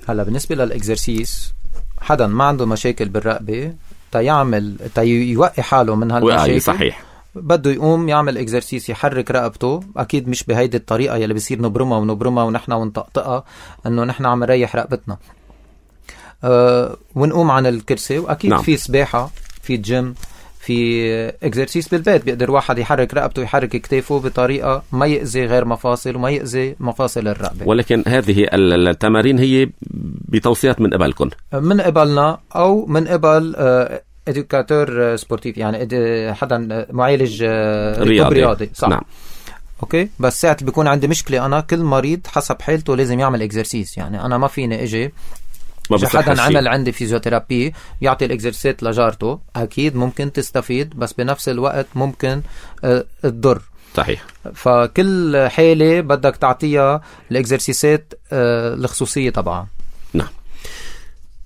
S2: هلا بالنسبة للإكزرسيس، حدا ما عنده مشاكل بالرقبة تيعمل تيوقي حاله من هالمشاكل
S1: صحيح،
S2: بده يقوم يعمل إكزرسيس يحرك رقبته. أكيد مش بهيدي الطريقة يلي بيصير نبرمها ونبرمها ونحن ونطقطقها إنه نحن عم نريح رقبتنا أه ونقوم عن الكرسي. وأكيد نعم. في سباحة، في جيم، في اكزرسيس بالبيت بيقدر واحد يحرك رقبته ويحرك كتافه بطريقة ما يأذي غير مفاصل وما يأذي مفاصل الرقبة.
S1: ولكن هذه التمارين هي بتوصيات من قبلكم؟
S2: من قبلنا أو من قبل إدوكاتور سبورتيف، يعني حدا معالج رياضي, رياضي. صح. نعم. أوكي. بس ساعة بيكون عندي مشكلة أنا، كل مريض حسب حالته لازم يعمل اكزرسيس. يعني أنا ما فيني إجي حدا عمل عندي فيزيوثيرابي يعطي الإكزرسيس لجارته، أكيد ممكن تستفيد بس بنفس الوقت ممكن تضر.
S1: صحيح.
S2: فكل حالة بدك تعطيها الإكزرسيسات الخصوصية طبعا.
S1: نعم.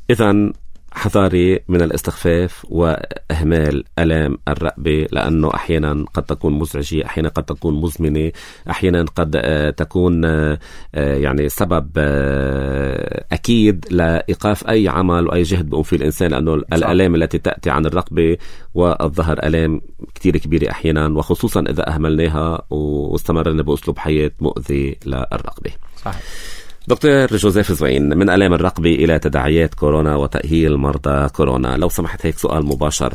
S1: إذن حذاري من الاستخفاف وإهمال ألام الرقبة، لأنه أحيانا قد تكون مزعجة، أحيانا قد تكون مزمنة، أحيانا قد تكون يعني سبب أكيد لإيقاف أي عمل وأي جهد بيقوم فيه الإنسان، لأنه صح. الألام التي تأتي عن الرقبة والظهر ألام كتير كبيرة أحيانا، وخصوصا إذا أهملناها واستمرنا بأسلوب حياة مؤذي للرقبة. صحيح. دكتور جوزيف زوين، من ألام الرقبة إلى تداعيات كورونا وتأهيل مرضى كورونا، لو سمحت هيك سؤال مباشر.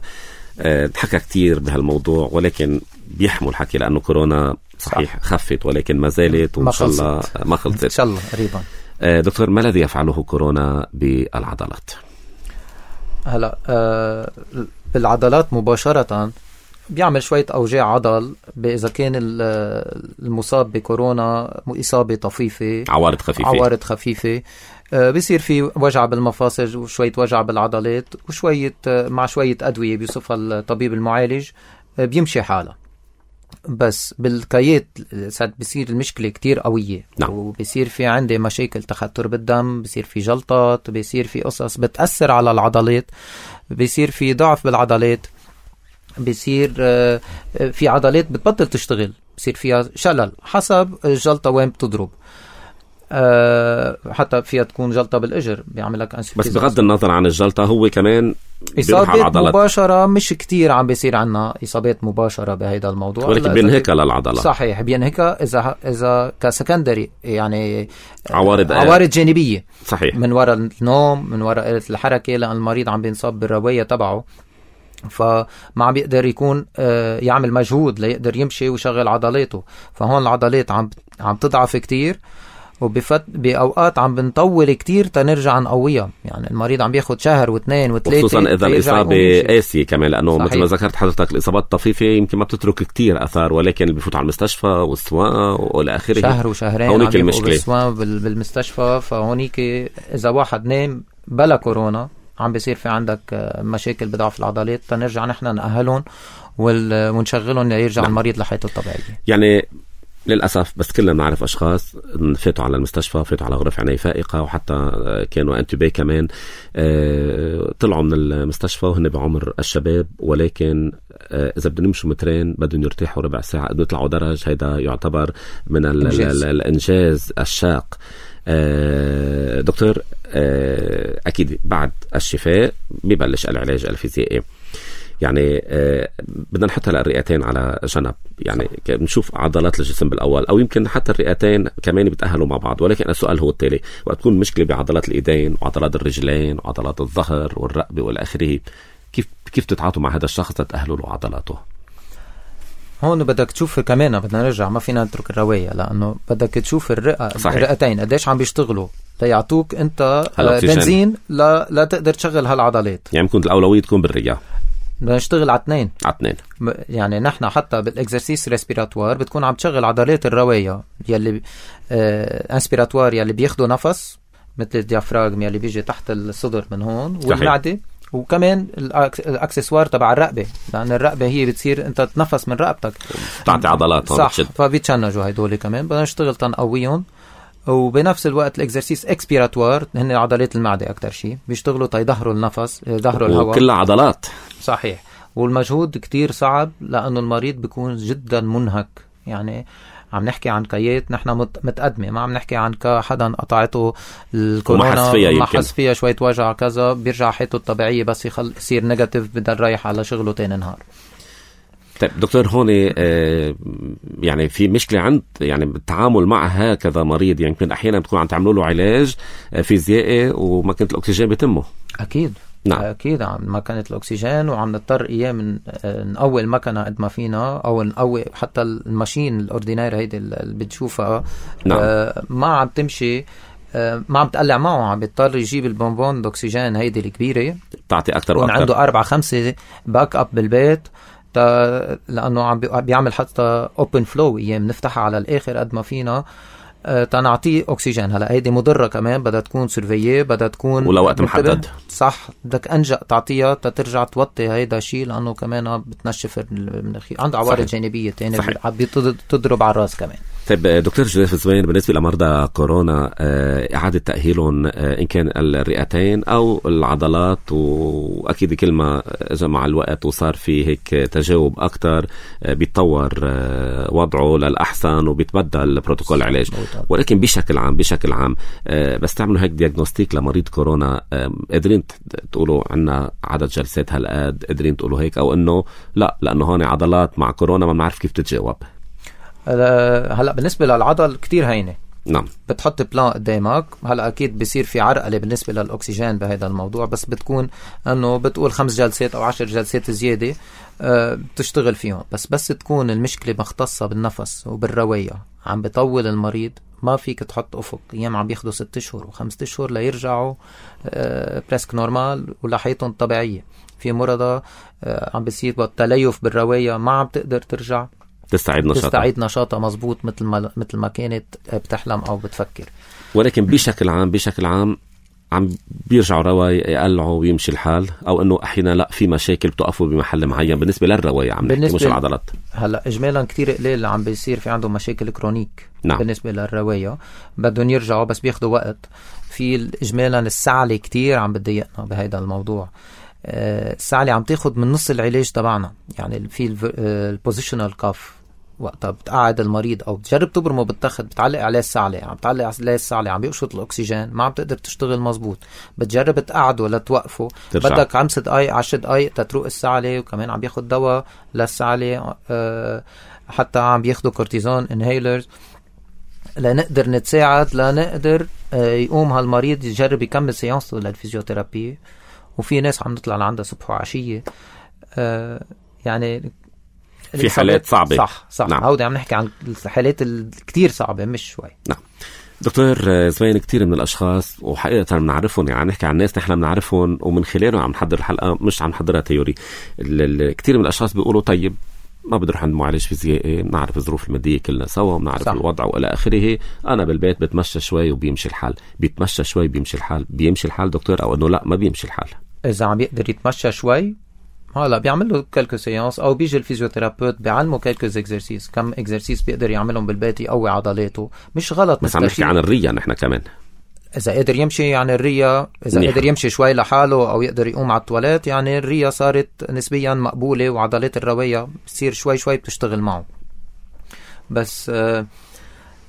S1: أه تحكى كتير بهالموضوع ولكن بيحمل حكي لأنه كورونا صحيح صح. خفت ولكن ما زالت وإن شاء الله ما خلصت إن
S2: شاء الله قريبا.
S1: أه دكتور، ما الذي يفعله كورونا بالعضلات؟
S2: هلا أه بالعضلات مباشرة بيعمل شوية أوجاع عضل إذا كان المصاب بكورونا إصابة طفيفة،
S1: عوارض خفيفة
S2: عوارض خفيفة بيصير في وجع بالمفاصل وشوية وجع بالعضلات وشوية مع شوية أدوية بيوصفها الطبيب المعالج بيمشي حالة. بس بالكيات بيصير المشكلة كتير قوية.
S1: نعم.
S2: وبيصير في عندي مشاكل تخثر بالدم، بيصير في جلطات، بيصير في قصص بتأثر على العضلات، بيصير في ضعف بالعضلات، بيصير في عضلات بتبطل تشتغل، بيصير فيها شلل حسب الجلطة وين بتضرب. حتى فيها تكون جلطة بالإجر بيعملك
S1: بس بغض النظر عن الجلطة هو كمان
S2: إصابات مباشرة مش كتير عم بيصير عنا إصابات مباشرة بهيدا الموضوع،
S1: ولكن بينهكها للعضلة.
S2: صحيح بينهكها إذا إذا كسكندري يعني
S1: عوارض
S2: عوارض جانبية.
S1: صحيح.
S2: من وراء النوم، من وراء قلة الحركة، لأن المريض عم بينصاب بالرواية تبعه فما عم بيقدر يكون يعمل مجهود ليقدر يمشي ويشغل عضلاته. فهون العضلات عم عم تضعف كتير، وبفت بأوقات عم بنطول كتير تنرجع نقويها. يعني المريض عم بياخد شهر واثنين وثلاثة،
S1: خصوصا إذا الإصابة قاسية كمان، لأنه
S2: صحيح.
S1: مثل ما ذكرت حضرتك الإصابات الطفيفة يمكن ما بتترك كتير أثار، ولكن اللي بيفوت على المستشفى والسواء والى آخره
S2: شهر وشهرين
S1: هونيك المشكلة
S2: بالمستشفى. فهونيك إذا واحد نام بلا كورونا عم بيصير في عندك مشاكل بضعف العضلات، تنرجع نحن نأهلهم ونشغلهم ليرجع نعم. المريض لحياته الطبيعية.
S1: يعني للأسف بس كلنا بنعرف أشخاص فاتوا على المستشفى، فاتوا على غرف عناية فائقة، وحتى كانوا انتوبي كمان، طلعوا من المستشفى وهن بعمر الشباب، ولكن إذا بدهم يمشوا مترين بدهم يرتاحوا ربع ساعة، بدهم يطلعوا درج. هيدا يعتبر من الإنجاز, الإنجاز الشاق. دكتور، أكيد بعد الشفاء بيبلش العلاج الفيزيائي. يعني آه بدنا نحط هلا الرئتين على جنب، يعني نشوف عضلات الجسم بالأول، أو يمكن حتى الرئتين كمان بيتأهلوا مع بعض. ولكن السؤال هو التالي: وقت تكون مشكلة بعضلات الإيدين وعضلات الرجلين وعضلات الظهر والرقبة والآخره، كيف كيف تتعاطوا مع هذا الشخص تتأهلوا له عضلاته؟
S2: هون بدك تشوف كمان، بدنا نرجع، ما فينا نترك الرواية، لأنه بدك تشوف الرئة، الرئتين قديش عم بيشتغلوا ليعطوك أنت بنزين لا لا تقدر تشغل هالعضلات. يعني
S1: ممكن الأولوية تكون بالرئة.
S2: بدنا نشتغل على اثنين
S1: على اثنين.
S2: يعني نحن حتى بالاكزرسيس ريسبيراتوار بتكون عم تشغل عضلات الرواية يلي آه انسبيراتوار يلي بياخدوا نفس، مثل الديافراغم يلي بيجي تحت الصدر من هون، والمعدة، وكمان الاكسسوار تبع الرقبة، لأن الرقبة هي بتصير انت تنفس من رقبتك،
S1: تعطي عضلات.
S2: صح، فبيتشنجوا هيدول كمان. بدنا نشتغل تنقويهم، وبنفس الوقت الاكزرسيس اكسبيراتوار هن عضلات المعدة أكتر شيء بيشتغلوا تيظهروا النفس، يظهروا الهواء،
S1: وكلها عضلات.
S2: صحيح. والمجهود كتير صعب لأنه المريض بيكون جدا منهك. يعني عم نحكي عن كيات نحن متقدمة، ما عم نحكي عن حدا قطعته الكورونا ما حس فيها شوية وجع كذا، بيرجع حياته الطبيعية، بس يخل يصير نيجاتيف بدل رايح على شغله تاني نهار.
S1: طيب دكتور، هون آه يعني في مشكلة عند يعني التعامل مع هكذا مريض، يعني يمكن أحيانا بتكون عم تعملوا له علاج فيزيائي وماكينة الأكسجين بتمه.
S2: أكيد. نعم. أكيد عم مكنة الأكسجين، وعم نضطر إياه من نقوي المكنة قد ما فينا، أو نقوي حتى الماشين الأوردينير هيدي اللي بتشوفها. نعم. آه ما عم تمشي، آه ما عم تقلع معه، عم بيضطر يجيب البونبون الأكسجين هيدي الكبيرة تعطي أكتر وأكتر. عنده أربعة خمسة باك أب بالبيت، لأنه عم بيعمل حتى open flow، أيام نفتحها على الآخر قد ما فينا تنعطيه أكسجين. هلا هيدي مضرة كمان، بدها تكون سيرفييه، بدها تكون
S1: ولا وقت محدد.
S2: صح، بدك أنجأ تعطيها تترجع توطي هيدا شيء، لأنه كمان بتنشف المناخير، عنده عوارض جانبية تانية بتضرب على الراس كمان.
S1: طيب دكتور جوزيف زوين، بالنسبة لمرضى كورونا إعادة تأهيلهم إن كان الرئتين أو العضلات، وأكيد كل ما جاء مع الوقت وصار في هيك تجاوب أكتر بيتطور وضعه للأحسن وبيتبدل بروتوكول العلاج، ولكن بشكل عام بشكل عام بس تعملوا هيك دياغنوستيك لمريض كورونا، قادرين تقولوا عنا عدد جلسات هالقد، قادرين تقولوا هيك، أو إنه لا لأنه هون عضلات مع كورونا ما بنعرف كيف تتجاوب؟
S2: هلا بالنسبة للعضل كتير هينة.
S1: نعم.
S2: بتحط بلان قدامك. هلا اكيد بيصير في عرقله بالنسبه للاكسجين بهذا الموضوع، بس بتكون انه بتقول خمس جلسات او عشر جلسات زياده أه بتشتغل فيهم، بس بس تكون المشكله مختصه بالنفس وبالروايه، عم بطول المريض، ما فيك تحط افق. ايام عم بياخدوا ست اشهر وخمسة اشهر ليرجعوا أه بريسك نورمال ولحياتهم الطبيعيه. في مرضى أه عم بيصير تليف بالروايه، ما عم تقدر ترجع
S1: تستعيد نشاطها
S2: تستعيد نشاطها مزبوط مثل ما مثل ما كانت بتحلم او بتفكر.
S1: ولكن بشكل عام بشكل عام عم بيرجعوا رواية يقلعوا ويمشي الحال، او انه احيانا لا في مشاكل بتوقفوا بمحل معين بالنسبه للرواية، عم نحكي مش العضلات.
S2: هلا اجمالا كتير قليل عم بيصير في عندهم مشاكل كرونيك. نعم. بالنسبه للرواية بدهم يرجعوا بس بياخدوا وقت. في اجمالا السعلة كتير عم بتضايقنا بهذا الموضوع. السعلة عم تاخد من نص العلاج تبعنا. يعني في البوزيشنال كاف، وقتها بتقعد المريض او بتجرب تبرمه بالتخت، بتعلق عليه السعلة، عم بتعلق عليه السعلة، عم بيقشط الاكسجين، ما عم تقدر تشتغل مزبوط. بتجرب تقعده ولا توقفه، بدك خمس دقايق عشر دقايق تتروق السعلة، وكمان عم بياخد دواء للسعلة، أه حتى عم بياخدوا كورتيزون انهيلرز لنقدر نتساعد، لنقدر أه يقوم هالمريض يجرب يكمل سيانسه للفيزيوثيرابي. وفي ناس عم نطلع لعندها صبح وعشية. أه يعني
S1: في حالات صعبة.
S2: صح صح. نعم. هودي عم نحكي عن الحالات الكتير صعبة مش شوي.
S1: نعم. دكتور زوين، كتير من الأشخاص وحقيقة بنعرفهم، يعني نحكي عن ناس نحن بنعرفهم ومن خلالهم عم نحضر الحلقة، مش عم نحضرها تيوري. كتير من الأشخاص بيقولوا طيب ما بدي اروح عند معالج فيزيائي، بنعرف الظروف المادية كلنا سوا، بنعرف الوضع والى اخره، انا بالبيت بتمشى شوي وبيمشي الحال. بيتمشى شوي بيمشي الحال، بيمشي الحال دكتور، او انه لا ما بيمشي الحال؟
S2: اذا عم يقدر يتمشى شوي هلا بيعمل له كالكو سيانس او بيجي الفيزيوثيرابيوت بيعلمه كالكو اكزرسيس، كم اكزرسيس بيقدر يعملهم بالبيت يقوي عضلاته. مش غلط
S1: بس عم نحكي عن الرية نحن كمان،
S2: اذا قدر يمشي يعني الرية، اذا نيح. قدر يمشي شوي لحاله او يقدر يقوم على التواليت، يعني الرية صارت نسبيا مقبولة وعضلات الرواية بتصير شوي شوي بتشتغل معه. بس آه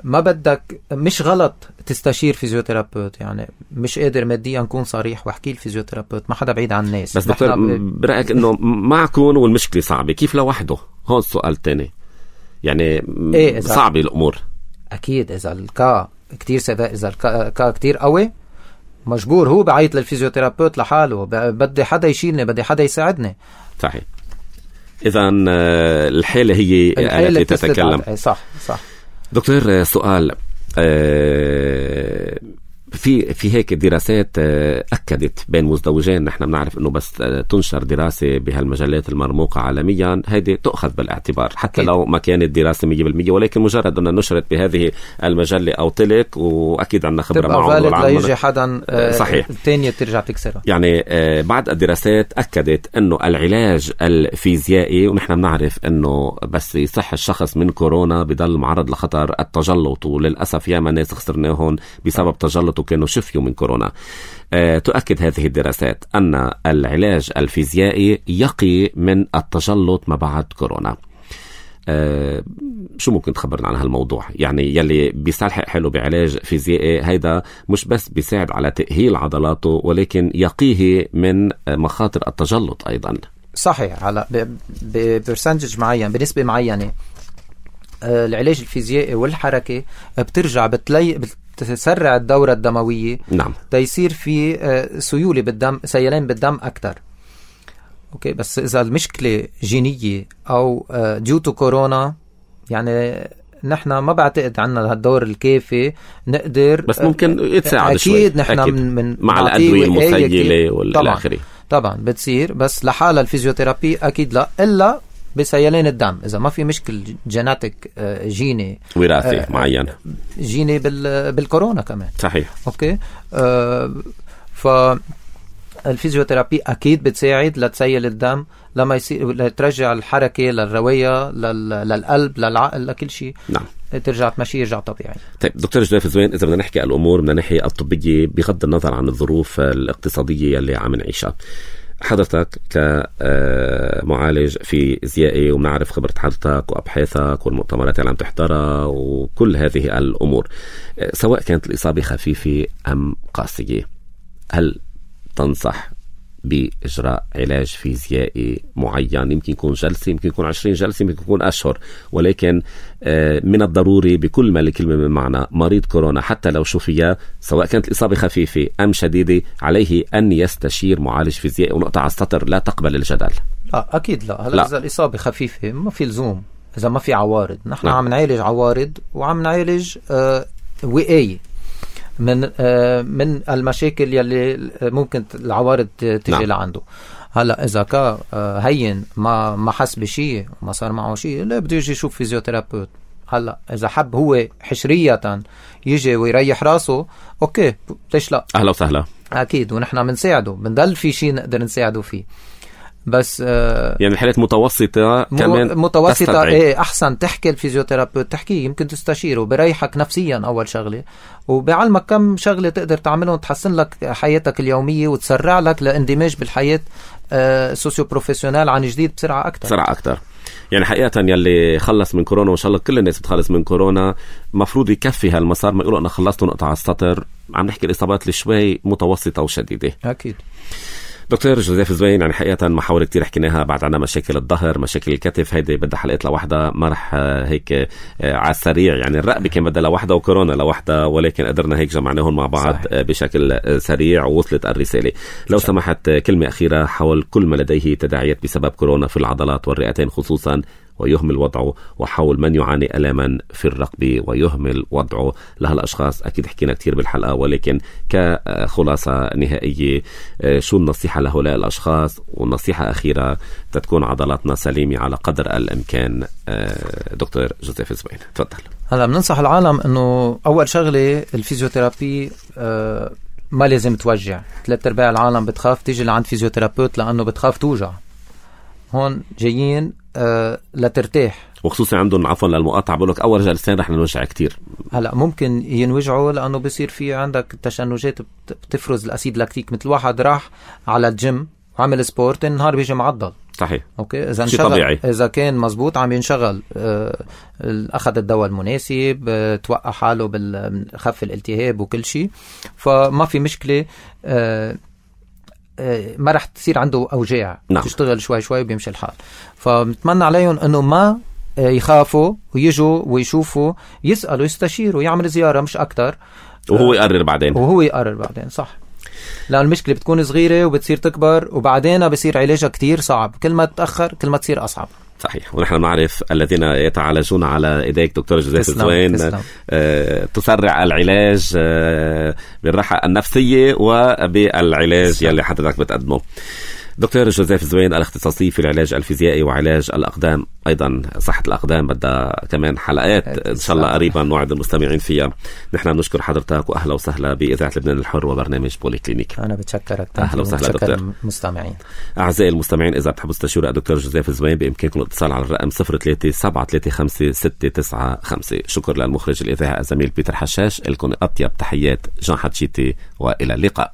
S2: ما بدك، مش غلط تستشير فيزيوثيرابيوت، يعني مش قادر ماديا نكون صريح واحكي الفيزيوثيرابيوت، ما حدا بعيد عن الناس.
S1: بس دكتور ب... برأيك انه معكم والمشكلة صعبة، كيف لوحده؟ هون السؤال تاني، يعني إيه صعبة الامور.
S2: اكيد اذا الكا كتير سبا... اذا الكا... الكا كتير قوي مجبور هو بعيط للفيزيوثيرابيوت لحاله، بدي حدا يشيلني، بدي حدا يساعدني.
S1: صحيح. اذا الحالة هي
S2: الحالة
S1: التي تتكلم.
S2: صح صح.
S1: دكتور سؤال، في في هيك دراسات أكدت بين مزدوجين، نحن بنعرف إنه بس تنشر دراسة بهالمجلات المرموقة عالميا هيدي تأخذ بالاعتبار حتى أكيد. لو ما كانت دراسة مية بالمية، ولكن مجرد أنها نشرت بهذه المجلة أو تلك، وأكيد عندنا خبرة معه
S2: لا يجي حدا صحيح الثانية ترجع تكسرها.
S1: يعني بعض الدراسات أكدت إنه العلاج الفيزيائي، ونحن بنعرف إنه بس يصح الشخص من كورونا بضل معرض لخطر التجلط، وللأسف ياما ناس خسرناهم بسبب تجلط كانوا شفيوا من كورونا. أه تؤكد هذه الدراسات أن العلاج الفيزيائي يقي من التجلط ما بعد كورونا. أه شو ممكن تخبرنا عن هالموضوع؟ يعني يلي بيستلحق حلو بعلاج فيزيائي هيدا مش بس بيساعد على تأهيل عضلاته، ولكن يقيه من مخاطر التجلط أيضا.
S2: صحيح. على ببرسنتج معين، بنسبة معينة، أه العلاج الفيزيائي والحركة بترجع بتلي تسرع الدورة الدموية.
S1: نعم.
S2: تيصير في سيولة بالدم، سيلان بالدم أكتر. أوكي. بس إذا المشكلة جينية أو ديوتو كورونا، يعني نحن ما بعتقد عنا هالدور الكافي نقدر،
S1: بس ممكن يتساعد شوي.
S2: أكيد نحن من, من
S1: مع الأدوية المسيلة والآخري
S2: طبعا بتصير، بس لحالة الفيزيوثيرابي أكيد لا، إلا بسيلان الدم. إذا ما في مشكل جيناتيك جيني
S1: وراثي آه معين،
S2: جيني بال بالكورونا كمان.
S1: صحيح.
S2: أوكي. آه فالفيزيوثيرابي أكيد بتساعد لتسيل الدم، لما يصير لترجع الحركة للرواية، لل... للقلب، للعقل، لكل شيء.
S1: نعم.
S2: ترجع تمشي، يرجع طبيعي.
S1: طيب دكتور جوزيف زوين، إذا بدنا نحكي الأمور من الناحية الطبية بغض النظر عن الظروف الاقتصادية اللي عم نعيشها، حضرتك كمعالج فيزيائي ومنعرف خبرة حضرتك وأبحاثك والمؤتمرات اللي عم تحضرها وكل هذه الأمور، سواء كانت الإصابة خفيفة أم قاسية، هل تنصح بإجراء علاج فيزيائي معين؟ يمكن يكون جلسة، يمكن يكون عشرين جلسة، يمكن يكون أشهر، ولكن من الضروري بكل ما لكلمة من معنى مريض كورونا حتى لو شفي، سواء كانت الإصابة خفيفة أم شديدة، عليه أن يستشير معالج فيزيائي. ونقطة على السطر، لا تقبل الجدل.
S2: لا أكيد لا. هلا إذا الإصابة خفيفة ما في لزوم، إذا ما في عوارض. نحن عم نعالج عوارض وعم نعالج آه وقاية من آه من المشاكل يلي ممكن العوارض تجي نعم. لعنده. هلا اذا كان آه هين ما ما حس بشيء، ما صار معه شيء، لا بده يجي يشوف فيزيوثيرابيوت. هلا اذا حب هو حشرية يجي ويريح راسه، اوكي ليش لا،
S1: اهلا وسهلا.
S2: اكيد، ونحن بنساعده، بنضل في شيء نقدر نساعده فيه. بس آه
S1: يعني الحالات متوسطة كمان
S2: متوسطة
S1: تستدعي.
S2: ايه احسن تحكي الفيزيوثيرابيوت، تحكيه، يمكن تستشيره، بريحك نفسيا اول شغلة، وبيعلمك كم شغلة تقدر تعملهم تحسن لك حياتك اليومية وتسرع لك لاندماج بالحياة آه سوسيو بروفيسيونال عن جديد بسرعة أكتر.
S1: بسرعة أكتر. يعني حقيقة يلي خلص من كورونا، وإن شاء الله كل الناس بتخلص من كورونا، مفروض يكفي هالمسار، ما يقولوا أنا خلصت ونقطع على السطر. عم نحكي الإصابات اللي شوي متوسطة وشديدة.
S2: أكيد.
S1: دكتور جوزيف زوين، يعني حقيقة محاور كتير حكيناها. بعد عنا مشاكل الظهر، مشاكل الكتف، هيدي بدها حلقات لوحدها، ما رح هيك على السريع. يعني الرقبة كان بدها لوحدها وكورونا لوحدها، ولكن قدرنا هيك جمعناهم مع بعض صحيح. بشكل سريع ووصلت الرسالة. لو صحيح. سمحت كلمة أخيرة حول كل ما لديه تداعيات بسبب كورونا في العضلات والرئتين خصوصا، ويهمل وضعه، وحول من يعاني ألاما في الرقبة ويهمل وضعه. لهالأشخاص أكيد حكينا كتير بالحلقة، ولكن كخلاصة نهائية، شو النصيحة لهؤلاء الأشخاص؟ والنصيحة أخيرة تتكون عضلاتنا سليمة على قدر الإمكان. دكتور جوزيف زوين، تفضل.
S2: هلا بننصح العالم أنه أول شغلة الفيزيوثيرابي ما لازم توجع. ثلاث أرباع العالم بتخاف تيجي لعند فيزيوثيرابيوت لأنه بتخاف توجع. هون جايين آه لترتاح،
S1: وخصوصا عندهم عفوا للمقاطعة بقولك أول جلسين رح نوجع كتير.
S2: هلا ممكن ينوجعوا لأنه بيصير في عندك تشنجات بتفرز الأسيد لاكتيك، مثل واحد راح على الجيم وعمل سبورت النهار بيجي معضل.
S1: صحيح.
S2: اوكي، اذا انشغل طبيعي. اذا كان مزبوط عم ينشغل آه اخذ الدواء المناسب، آه توقع حاله بالخف الالتهاب وكل شيء، فما في مشكله. آه آه ما رح تصير عنده اوجاع. نعم. تشتغل شوي شوي وبيمشي الحال. فبنتمنى عليهم انه ما آه يخافوا ويجوا ويشوفوا، يسالوا يستشيروا، يعمل زياره مش اكتر،
S1: وهو يقرر بعدين.
S2: وهو يقرر بعدين. صح. لأن المشكلة بتكون صغيرة وبتصير تكبر وبعدين بصير علاجها كتير صعب، كل ما تتأخر كل ما تصير أصعب.
S1: صحيح. ونحن نعرف الذين يتعالجون على إيديك دكتور جوزيف الزوين آه تسرع العلاج آه بالراحة النفسية وبالعلاج يلي حضرتك بتقدمه. دكتور جوزيف الزوين الاختصاصي في العلاج الفيزيائي وعلاج الأقدام، أيضا صحة الأقدام بدها كمان حلقات إن شاء الله قريبا نوعد المستمعين فيها. نحن بنشكر حضرتك وأهلا وسهلا بإذاعة لبنان الحر وبرنامج بولي كلينيك.
S2: أنا بتشكرك.
S1: أهلا وسهلا دكتور.
S2: المستمعين
S1: أعزائي المستمعين، إذا بتحبوا تستشيروا الدكتور جوزيف الزوين بإمكانكم الاتصال على الرقم صفر ثلاثة سبعة ثلاثة خمسة ستة تسعة خمسة. شكر للمخرج الإذاعي الزميل بيتر حشاش. لكم أطيب تحيات جان حتشيتي وإلى اللقاء.